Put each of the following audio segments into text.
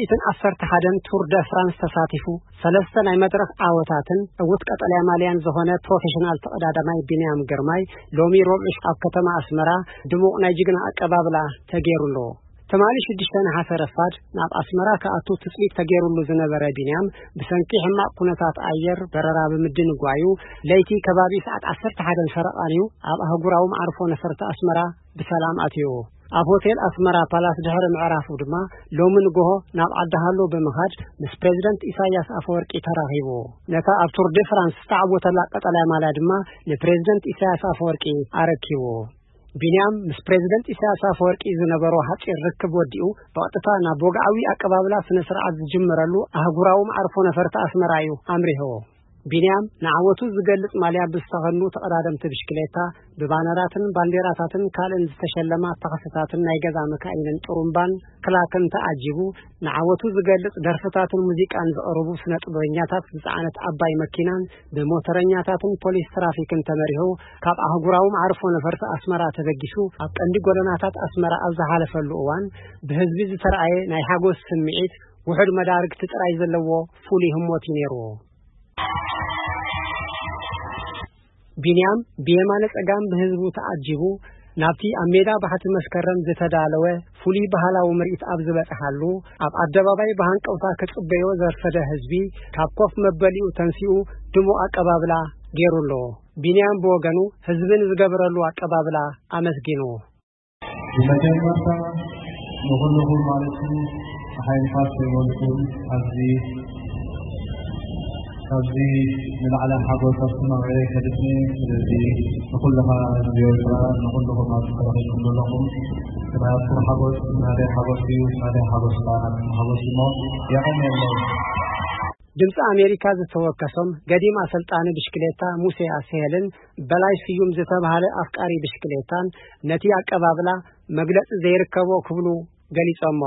እትን ዓሰርተ ሓደን ቱር ደ ፍራንስ ተሳቲፉ ሰለስተ ናይ መድረኽ ዓወታትን ዕዉት ቀጠልያ ማልያን ዝኾነ ፕሮፌሽናል ተቐዳዳማይ ቢንያም ግርማይ ሎሚ ረቡዕ ኣብ ከተማ ኣስመራ ድሙቕ ናይ ጅግና ኣቀባብላ ተገይሩሉ። ትማሊ ሽዱሽተ ነሓሰ ረፋድ ናብ ኣስመራ ክኣቱ ትጽቢት ተገይሩሉ ዝነበረ ቢንያም ብሰንኪ ሕማቕ ኩነታት ኣየር በረራ ብምድንጓዩ ለይቲ ከባቢ ሰዓት ዓሰርተ ሓደን ፈረቓን እዩ ኣብ ኣህጉራዊ መዓርፎ ነፈርቲ ኣስመራ ብሰላም ኣትዩ። ኣብ ሆቴል ኣስመራ ፓላስ ድሕሪ ምዕራፉ ድማ ሎሚ ንግሆ ናብ ዓዲ ሃሎ ብምኻድ ምስ ፕሬዝደንት ኢሳያስ ኣፈወርቂ ተራኺቡ። ነታ ኣብ ቱር ደ ፍራንስ ዝተዓወተላ ቀጠልያ ማልያ ድማ ንፕሬዝደንት ኢሳያስ ኣፈወርቂ ኣረኪቡ። ቢንያም ምስ ፕሬዝደንት ኢሳያስ ኣፈወርቂ ዝነበሮ ሓጺር ርክብ ወዲኡ ብቐጥታ ናብ ወግዓዊ ኣቀባብላ ስነ ስርዓት ዝጅምረሉ ኣህጉራዊ መዓርፎ ነፈርቲ ኣስመራ እዩ ኣምሪሁ። ቢንያም ንዓወቱ ዝገልጽ ማልያ ብዝተኸድኑ ተቐዳደምቲ ብሽክሌታ ብባነራትን ባንዴራታትን ካልእን ዝተሸለማ ታኽስታትን ናይ ገዛ መካይንን ጥሩምባን ክላክን ተዓጂቡ ንዓወቱ ዝገልጽ ደርፍታትን ሙዚቃን ዘቕርቡ ስነ ጥበበኛታት ዝጸዓነት ዓባይ መኪናን ብሞተረኛታትን ፖሊስ ትራፊክን ተመሪሑ ካብ ኣህጉራዊ መዓርፎ ነፈርቲ ኣስመራ ተበጊሱ ኣብ ቀንዲ ጎደናታት ኣስመራ ኣብ ዝሓለፈሉ እዋን ብህዝቢ ዝተረኣየ ናይ ሓጎስ ስምዒት ውሑድ መዳርግቲ ጥራይ ዘለዎ ፍሉይ ህሞት እዩ ነይሩ። ቢንያም ብየማነ ጸጋም ብህዝቡ ተዓጂቡ ናብቲ ኣብ ሜዳ ባሕቲ መስከረም ዝተዳለወ ፍሉይ ባህላዊ ምርኢት ኣብ ዝበጽሓሉ ኣብ ኣደባባይ ብሃንቀውታ ክጽበዮ ዘርፈደ ህዝቢ ካብ ኮፍ መበሊኡ ተንሲኡ ድሙቕ ኣቀባብላ ገይሩ ኣሎ። ቢንያም ብወገኑ ህዝቢ ንዝገበረሉ ኣቀባብላ ኣመስጊኑ። ብመጀመርታ ንኹልኹም ማለት እዩ ሓይልታት ከይመልኩም ኣብዚ ኣብዚ ንላዕሊ ሓጎስ ኣስተማቒረ ከድስኒ። ስለዚ ንኹልኻ ህዝቢ ኤርትራ ንኹልኹም ኣብዚ ተረኺብኩም ዘለኹም ናትኩም ሓጎስ ናደይ ሓጎስ እዩ፣ ናደይ ሓጎስ ከኣ ናትኩም ሓጎስ እሞ የቐንየለይ። ድምፂ ኣሜሪካ ዝተወከሶም ገዲም ኣሰልጣኒ ብሽክሌታ ሙሴ ኣስሄልን በላይ ስዩም ዝተባሃለ ኣፍቃሪ ብሽክሌታን ነቲ ኣቀባብላ መግለፂ ዘይርከቦ ክብሉ ገሊጾሞ።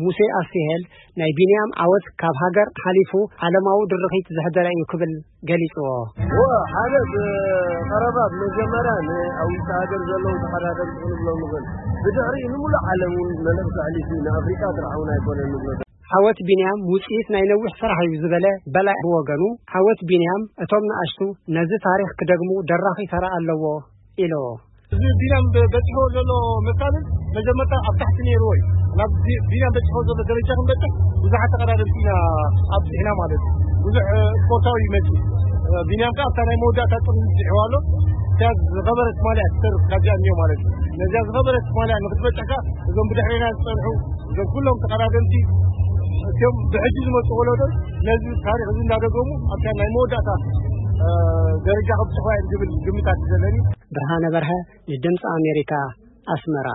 ሙሴ ኣስሄል ናይ ቢንያም ዓወት ካብ ሃገር ሓሊፉ ዓለማዊ ድርኺት ዘሕደረ እዩ ክብል ገሊጽዎ። ወ ሓደ ብቐረባ ብመጀመርያ ንኣዊታ ሃገር ዘለዉ ተቐዳደምቲ ክንብሎም ንኽእል። ብድሕሪኡ ንሙሉእ ዓለም እውን መልእኽቲ ኣሕሊፉ እዩ። ንኣፍሪቃ ጥራሕ እውን ኣይኮነን ንብሎ። ዓወት ቢንያም ውጽኢት ናይ ነዊሕ ስራሕ እዩ ዝበለ በላይ ብወገኑ፣ ዓወት ቢንያም እቶም ንኣሽቱ ነዚ ታሪኽ ክደግሙ ደራኺ ተራ ኣለዎ ኢሉ። እዚ ቢንያም በ- በጺሕዎ ዘሎ መሳልል መጀመርታ ኣብ ታሕቲ ነይርዎ እዩ። ናብ ቢ- ቢንያም በጺሕዎ ዘሎ ደረጃ ክንበጽሕ ብዙሓት ተቐዳደምቲ ኢና ኣብጺሕና ማለት እዩ። ብዙሕ እ፣ ስፖርታዊ እዩ መጺኡ። እ፣ ቢንያም ከኣ ኣብታ ናይ መወዳእታ ጥሪ ብጺሕዋ ኣሎ። እታ ዝኸበረት ማልያ ትተርፍ ካብዚኣ እኒኦ ማለት እዩ። ነዚኣ ዝኸበረት ማልያ ንክትበጽሕ ከኣ እዞም ብድሕሬና ዝጸንሑ እዞም ኩሎም ተቐዳደምቲ እቲኦም ብሕጂ ዝመጹ ወለዶ ነዚ ታሪኽ እዚ እንዳደገሙ ኣብታ ናይ መወዳእታ እ፣ ደረጃ ከብጽሕዋ እዮም ዝብል ግምታት እዩ ዘለኒ። ብርሃነ በርሀ ንድምፂ ኣሜሪካ ኣስመራ።